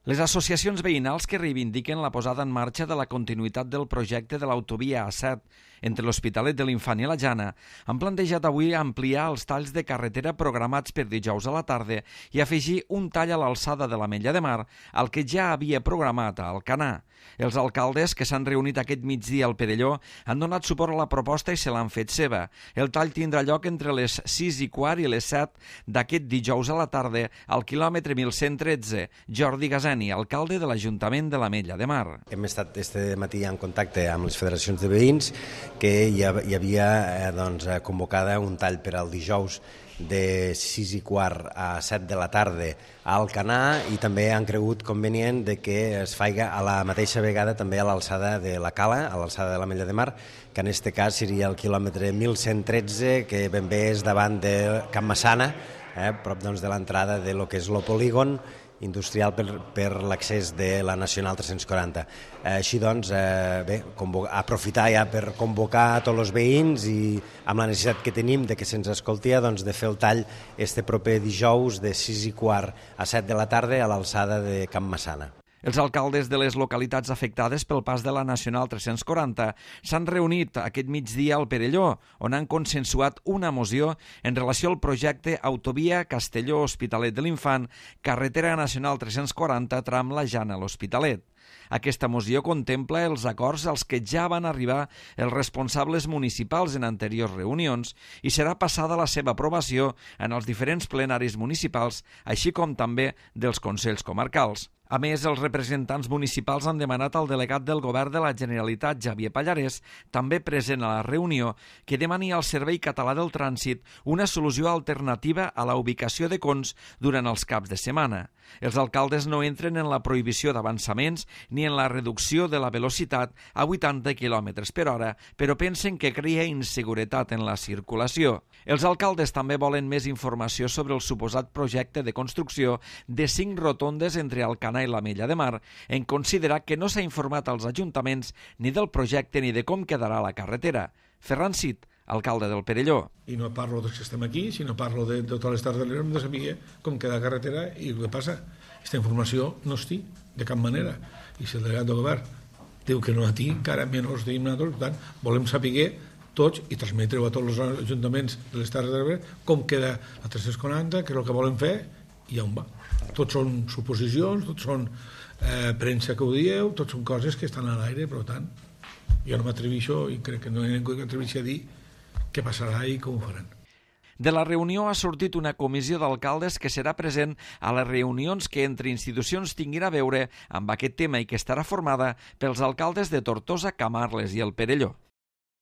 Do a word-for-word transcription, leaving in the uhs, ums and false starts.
Les associacions veïnals que reivindiquen la posada en marxa de la continuïtat del projecte de l'autovia A set entre l'Hospitalet de l'Infant i la Jana han plantejat avui ampliar els talls de carretera programats per dijous a la tarda i afegir un tall a l'alçada de l'Ametlla de Mar al que ja havia programat a Alcanar. Els alcaldes que s'han reunit aquest migdia al Perelló han donat suport a la proposta i se l'han fet seva. El tall tindrà lloc entre les sis i quart i les set d'aquest dijous a la tarda al quilòmetre mil cent tretze. Jordi Gaseni, alcalde de l'Ajuntament de l'Ametlla de Mar. Hem estat este matí en contacte amb les federacions de veïns que hi havia eh, doncs, convocada un tall per al dijous de sis i quart a set de la tarda a Alcanar, i també han cregut convenient de que es faiga a la mateixa vegada també a l'alçada de la Cala, a l'alçada de l'Ametlla de Mar, que en aquest cas seria el quilòmetre mil cent tretze, que ben bé és davant de Can Massana, eh, prop doncs, de l'entrada de lo que és el polígon industrial per, per l'accés de la Nacional tres-cents quaranta. Eh, així doncs, eh, bé, aprofitar ja per convocar a tots els veïns i amb la necessitat que tenim de que se'ns escolti, doncs, de fer el tall este proper dijous de sis i quart a set de la tarda a l'alçada de Can Massana. Els alcaldes de les localitats afectades pel pas de la Nacional tres-cents quaranta s'han reunit aquest migdia al Perelló, on han consensuat una moció en relació al projecte Autovia Castelló-Hospitalet de l'Infant, carretera nacional tres-cents quaranta tram la Jana a l'Hospitalet. Aquesta moció contempla els acords als que ja van arribar els responsables municipals en anteriors reunions i serà passada la seva aprovació en els diferents plenaris municipals, així com també dels consells comarcals. A més, els representants municipals han demanat al delegat del Govern de la Generalitat, Xavier Pallarès, també present a la reunió, que demani al Servei Català del Trànsit una solució alternativa a la ubicació de cons durant els caps de setmana. Els alcaldes no entren en la prohibició d'avançaments ni en la reducció de la velocitat a vuitanta quilòmetres per hora, però pensen que crea inseguretat en la circulació. Els alcaldes també volen més informació sobre el suposat projecte de construcció de cinc rotondes entre Alcanar i l'Ametlla de Mar, en considerar que no s'ha informat als ajuntaments ni del projecte ni de com quedarà la carretera. Ferran Cid, alcalde del Perelló. I no parlo dels que estem aquí, sinó parlo de, de totes les Terres de l'Ebre, hem de saber com queda la carretera i el que passa. Aquesta informació no es té de cap manera. I si el delegat del govern diu que no la té, encara menys tenim nosaltres, per tant, volem saber tots i transmetre-ho a tots els ajuntaments de les Terres de l'Ebre com queda la tres-cents quaranta, que és el que volen fer i on va. Tots són suposicions, tots són eh, premsa que ho dieu, tots són coses que estan a l'aire, per tant, jo no m'atreveixo i crec que no hi ha ningú que atreveixi a dir què passarà i com ho faran. De la reunió ha sortit una comissió d'alcaldes que serà present a les reunions que entre institucions tinguin a veure amb aquest tema i que estarà formada pels alcaldes de Tortosa, Camarles i el Perelló.